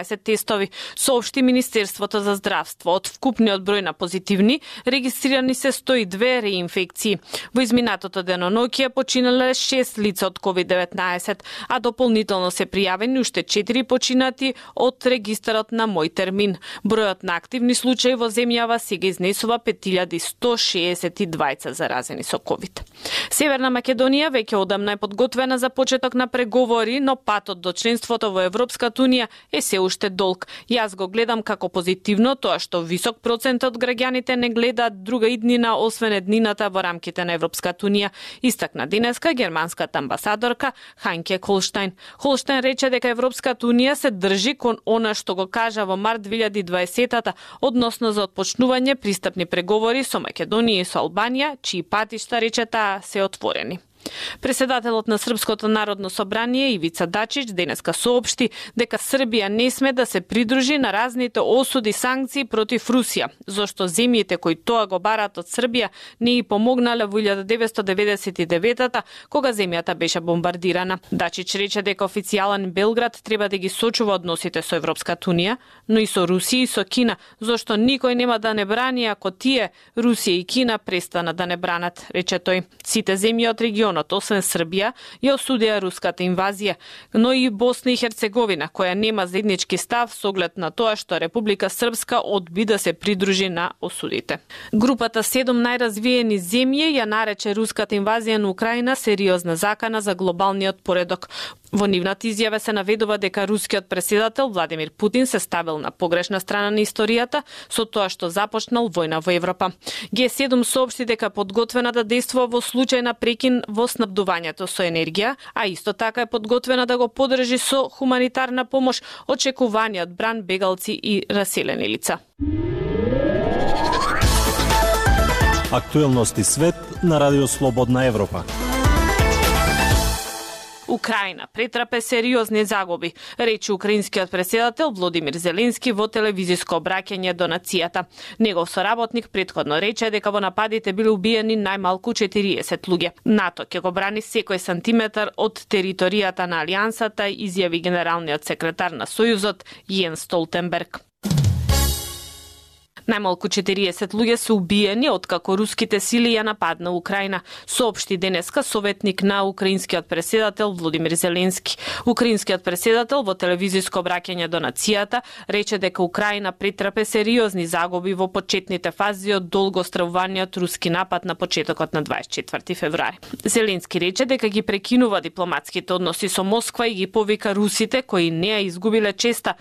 тестови, соопшти Министерството за здравство. Од вкупниот број на позитивни, регистрирани се 102 реинфекции. Во изминатото деноноќе починале 6 лица од COVID-19, а дополнително се пријавени уште 4 починати од регистарот на Мој термин. Бројот на активни случаи во земјава сега изнесува 5162 заразени со COVID. Северна Македонија веќе одамна е подготвена за почеток на преговори, но патот до членството во Европската унија е се уште долг. Јас го гледам како позитивно тоа што висок процент од граѓаните не гледаат друга иднина освен еднината во рамките на Европската унија, истакна денеска германската амбасадорка Ханке Холштайн. Холштайн рече дека Европската унија се држи кон она што го кажа во март 2020-та, односно за отпочнување пристапни преговори со Македонија и со Албанија, чии патишта, рече таа, се отворени. Преседателот на Српското народно собрание Ивица Дачич денеска соопшти дека Србија не сме да се придружи на разните осуди санкции против Русија, зашто земјите кои тоа го бараат од Србија не и помогнале во 1999-та, кога земјата беше бомбардирана. Дачич рече дека официјален Белград треба да ги сочува односите со Европската унија, но и со Русија и со Кина, зашто никој нема да не брани ако тие, Русија и Кина, престанат да не бранат, рече тој. Сите земји од регионот, освен Србија, ја осудија руската инвазија, но и Босна и Херцеговина, која нема заеднички став со оглед на тоа што Република Српска одби да се придружи на осудите. Групата 7 најразвиени земји ја нарече руската инвазија на Украина сериозна закана за глобалниот поредок. Во нивната изјава се наведува дека рускиот преседател Владимир Путин се ставил на погрешна страна на историјата со тоа што започнал војна во Европа. Г7 соопшти дека подготвена да действува во случај на прекин во снабдувањето со енергија, а исто така е подготвена да го поддржи со хуманитарна помош очекуваниот бран бегалци и раселени лица. Актуелности свет на Радио Слободна Европа. Украина претрпе сериозни загуби, рече украинскиот преседател Володимир Зеленски во телевизиско обраќање до нацијата. Негов соработник претходно рече дека во нападите биле убиени најмалку 40 луѓе. НАТО ќе го брани секој сантиметар од територијата на алијансата, изјави генералниот секретар на Сојузот Јенс Столтенберг. Најмалку 40 луѓе се убиени откако руските сили ја нападна Украина, соопшти денеска советник на украинскиот преседател Володимир Зеленски. Украинскиот преседател во телевизиско обраќање до нацијата рече дека Украина претрпе сериозни загуби во почетните фази од долго стравуваниот руски напад на почетокот на 24 февруари. Зеленски рече дека ги прекинува дипломатските односи со Москва и ги повика русите кои не ја изгубиле честа да